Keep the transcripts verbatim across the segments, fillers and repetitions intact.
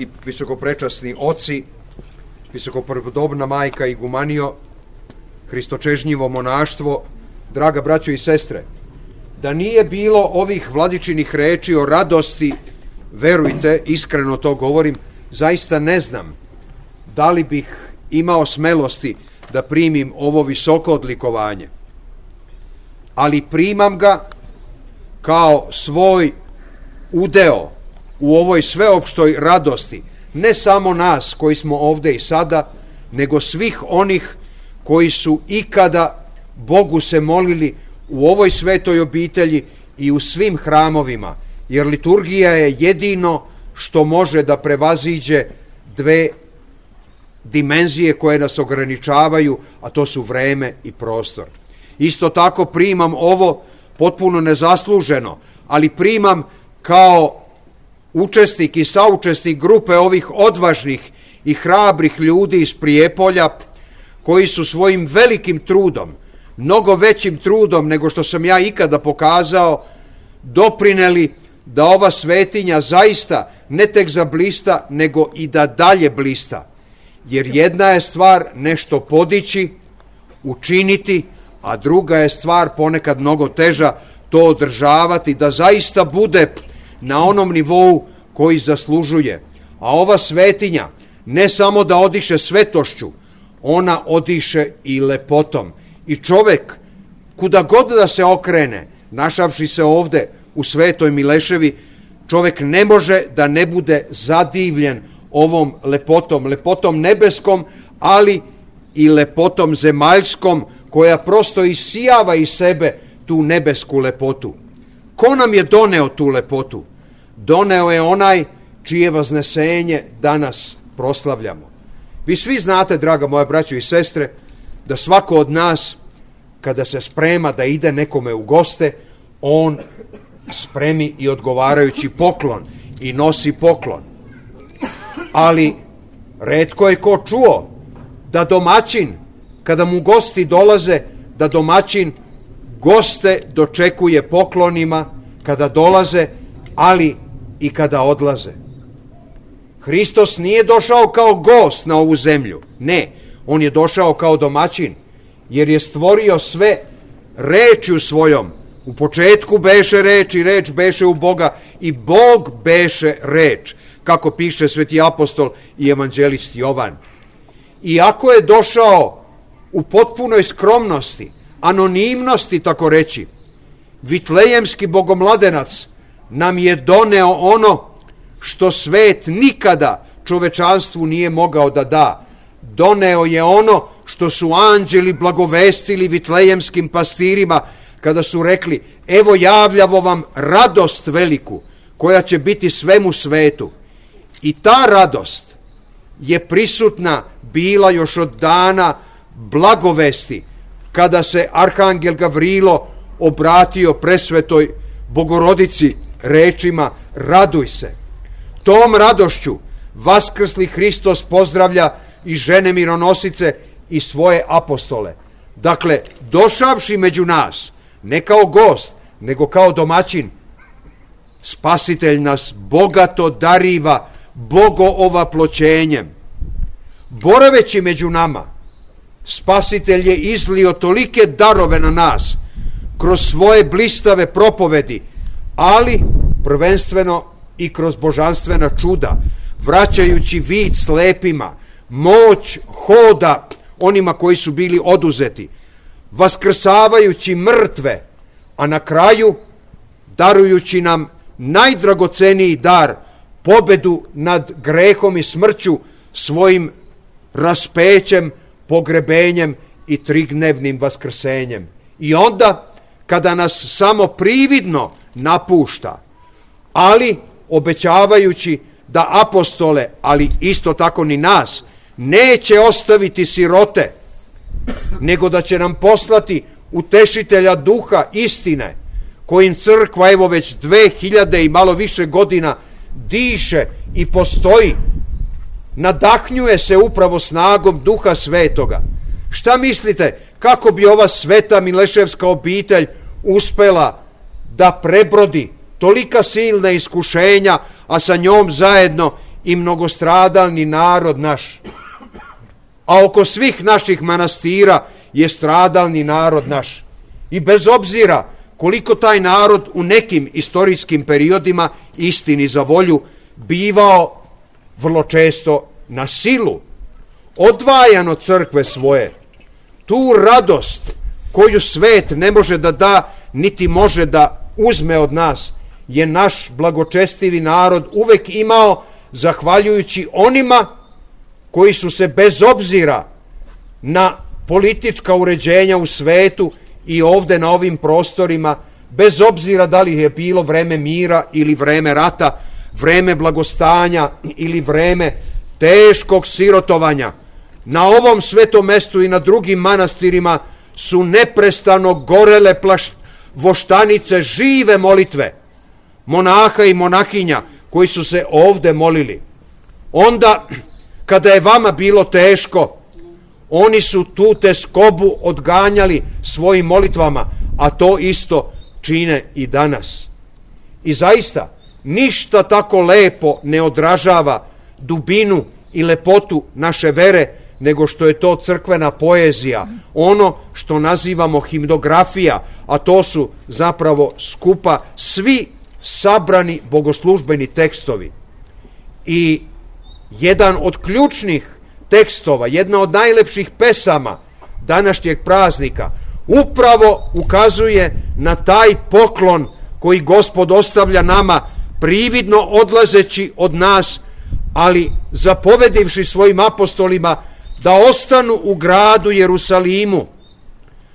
i visokoprečasni oci, visokopodobna majka Igumanio, hristočežnjivo monaštvo, draga braćo i sestre, da nije bilo ovih vladičinih reči o radosti, verujte, iskreno to govorim, zaista ne znam da li bih imao smelosti da primim ovo visoko odlikovanje. Ali primam ga kao svoj udeo u ovoj sveopštoj radosti, ne samo nas koji smo ovde i sada, nego svih onih koji su ikada Bogu se molili u ovoj svetoj obitelji i u svim hramovima, jer liturgija je jedino što može da prevaziđe dve dimenzije koje nas ograničavaju, a to su vreme i prostor. Isto tako primam ovo potpuno nezasluženo, ali primam kao učesnik i saučesnik grupe ovih odvažnih i hrabrih ljudi iz Prijepolja, koji su svojim velikim trudom, mnogo većim trudom nego što sam ja ikada pokazao, doprineli da ova svetinja zaista ne tek zablista, nego i da dalje blista. Jer jedna je stvar nešto podići, učiniti, a druga je stvar ponekad mnogo teža to održavati, da zaista bude na onom nivou koji zaslužuje. A ova svetinja ne samo da odiše svetošću, ona odiše i lepotom. I čovek, kuda god da se okrene, našavši se ovde u Svetoj Mileševi, čovek ne može da ne bude zadivljen ovom lepotom, lepotom nebeskom, ali i lepotom zemaljskom, koja prosto isijava iz sebe tu nebesku lepotu. Ko nam je doneo tu lepotu? Doneo je onaj čije vaznesenje danas proslavljamo. Vi svi znate, draga moja braćo i sestre, da svako od nas, kada se sprema da ide nekome u goste, on spremi i odgovarajući poklon i nosi poklon. Ali retko je ko čuo da domaćin, kada mu gosti dolaze, da domaćin goste dočekuje poklonima kada dolaze, ali i kada odlaze. Hristos nije došao kao gost na ovu zemlju, ne, on je došao kao domaćin, jer je stvorio sve rečju svojom. U početku beše reč i reč beše u Boga i Bog beše reč, kako piše sveti apostol i evanđelist Jovan. Iako je došao u potpunoj skromnosti, anonimnosti, tako reći, vitlejemski bogomladenac nam je doneo ono što svet nikada čovečanstvu nije mogao da da. Doneo je ono što su anđeli blagovestili vitlejemskim pastirima kada su rekli: evo javljavo vam radost veliku koja će biti svemu svetu. I ta radost je prisutna bila još od dana blagovesti, kada se arhangel Gavrilo obratio presvetoj Bogorodici rečima: raduj se. Tom radošću vaskrsli Hristos pozdravlja i žene mironosice i svoje apostole. Dakle, došavši među nas, ne kao gost, nego kao domaćin, Spasitelj nas bogato dariva bogoovaploćenjem. Boraveći među nama, Spasitelj je izlio tolike darove na nas kroz svoje blistave propovedi, ali prvenstveno i kroz božanstvena čuda, vraćajući vid slepima, moć hoda onima koji su bili oduzeti, vaskrsavajući mrtve, a na kraju darujući nam najdragoceniji dar, pobedu nad grehom i smrću svojim raspećem, pogrebenjem i trignevnim vaskrsenjem. I onda, kada nas samo prividno napušta, ali obećavajući da apostole, ali isto tako ni nas, neće ostaviti sirote, nego da će nam poslati utešitelja duha istine, kojim crkva evo već dve hiljade i malo više godina diše i postoji, nadahnjuje se upravo snagom Duha Svetoga. Šta mislite, kako bi ova sveta mileševska obitelj uspela da prebrodi tolika silna iskušenja, a sa njom zajedno i mnogostradalni narod naš. A oko svih naših manastira je stradalni narod naš. I bez obzira koliko taj narod u nekim istorijskim periodima, istini za volju, bivao vrlo često na silu odvajan od crkve svoje, tu radost koju svet ne može da da, niti može da uzme od nas, je naš blagočestivi narod uvek imao zahvaljujući onima koji su se bez obzira na politička uređenja u svetu i ovde na ovim prostorima, bez obzira da li je bilo vreme mira ili vreme rata, vreme blagostanja ili vreme teškog sirotovanja, na ovom svetom mestu i na drugim manastirima su neprestano gorele plašt, voštanice žive molitve monaha i monahinja koji su se ovde molili. Onda, kada je vama bilo teško, oni su tu teskobu odganjali svojim molitvama, a to isto čine i danas. I zaista, ništa tako lepo ne odražava dubinu i lepotu naše vere, nego što je to crkvena poezija, ono što nazivamo himnografija, a to su zapravo skupa svi sabrani bogoslužbeni tekstovi. I jedan od ključnih tekstova, jedna od najlepših pesama današnjeg praznika upravo ukazuje na taj poklon koji Gospod ostavlja nama, prividno odlazeći od nas, ali zapovedivši svojim apostolima da ostanu u gradu Jerusalimu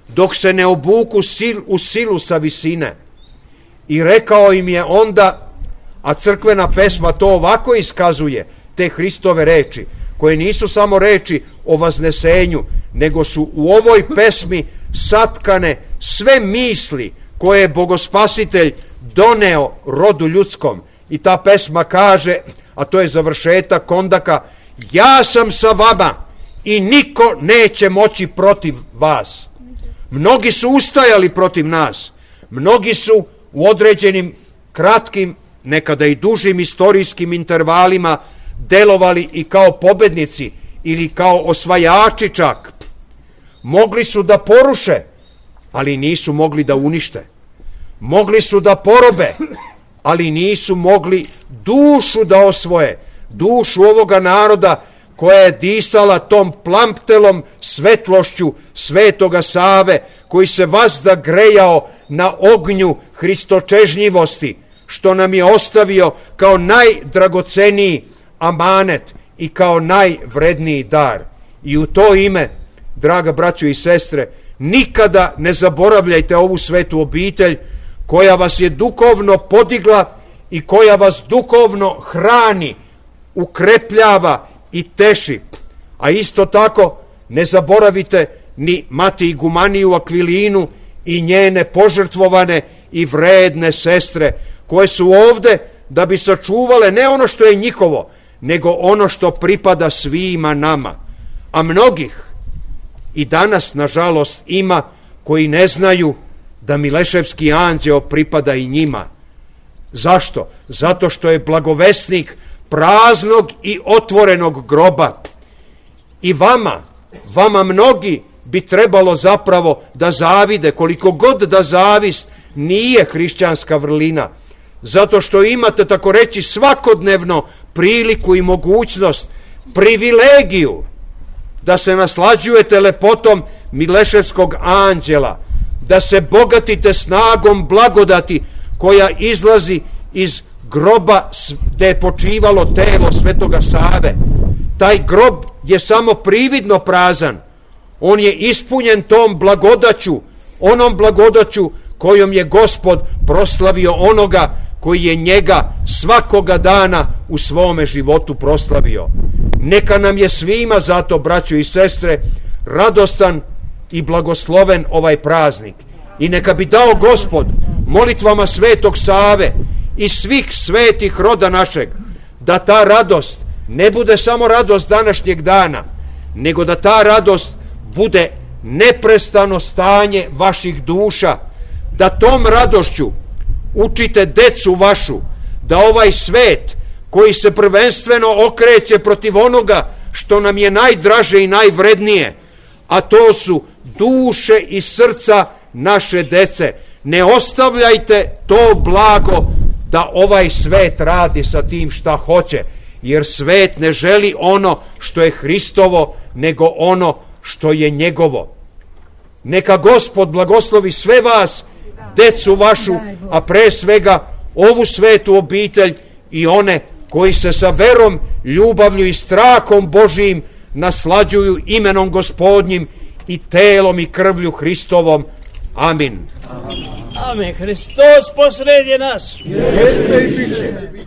dok se ne obuku sil, u silu sa visine. I rekao im je onda, a crkvena pesma to ovako iskazuje, te Hristove reči, koje nisu samo reči o vaznesenju, nego su u ovoj pesmi satkane sve misli koje je Bogospasitelj doneo rodu ljudskom. I ta pesma kaže, a to je završetak Kondaka: ja sam sa vama i niko neće moći protiv vas. Mnogi su ustajali protiv nas, mnogi su u određenim kratkim, nekada i dužim istorijskim intervalima delovali i kao pobednici ili kao osvajači čak. Mogli su da poruše, ali nisu mogli da unište. Mogli su da porobe, ali nisu mogli dušu da osvoje, dušu ovoga naroda koja je disala tom plamptelom svetlošću Svetoga Save, koji se vazda grejao na ognju hristočežnjivosti, što nam je ostavio kao najdragoceniji amanet i kao najvredniji dar. I u to ime, draga braćo i sestre, nikada ne zaboravljajte ovu svetu obitelj koja vas je duhovno podigla i koja vas duhovno hrani, ukrepljava i teši. A isto tako ne zaboravite ni mati Igumaniju Akvilinu i njene požrtvovane i vredne sestre, koje su ovde da bi sačuvale ne ono što je njihovo, nego ono što pripada svima nama. A mnogih i danas, nažalost, ima koji ne znaju da Mileševski anđeo pripada i njima. Zašto? Zato što je blagovesnik praznog i otvorenog groba. I vama, vama mnogi bi trebalo zapravo da zavide, koliko god da zavist nije hrišćanska vrlina, zato što imate, tako reći, svakodnevno priliku i mogućnost, privilegiju da se naslađujete lepotom Mileševskog anđela, da se bogatite snagom blagodati koja izlazi iz groba gde je počivalo telo Svetoga Save. Taj grob je samo prividno prazan. On je ispunjen tom blagodaću, onom blagodaću kojom je Gospod proslavio onoga koji je njega svakoga dana u svome životu proslavio. Neka nam je svima zato, braćo i sestre, radostan i blagosloven ovaj praznik. I neka bi dao Gospod molitvama Svetog Save i svih svetih roda našeg, da ta radost ne bude samo radost današnjeg dana, nego da ta radost bude neprestano stanje vaših duša, da tom radošću učite decu vašu, da ovaj svet koji se prvenstveno okreće protiv onoga što nam je najdraže i najvrednije, a to su duše i srca naše dece. Ne ostavljajte to blago da ovaj svet radi sa tim šta hoće, jer svet ne želi ono što je Hristovo, nego ono što je njegovo. Neka Gospod blagoslovi sve vas, decu vašu, a pre svega ovu svetu obitelj i one koji se sa verom, ljubavlju i strahom Božijim naslađuju imenom Gospodnjim i telom i krvlju Hristovom. Amin. Amen. Hristos posredje nas. Jeste i biće.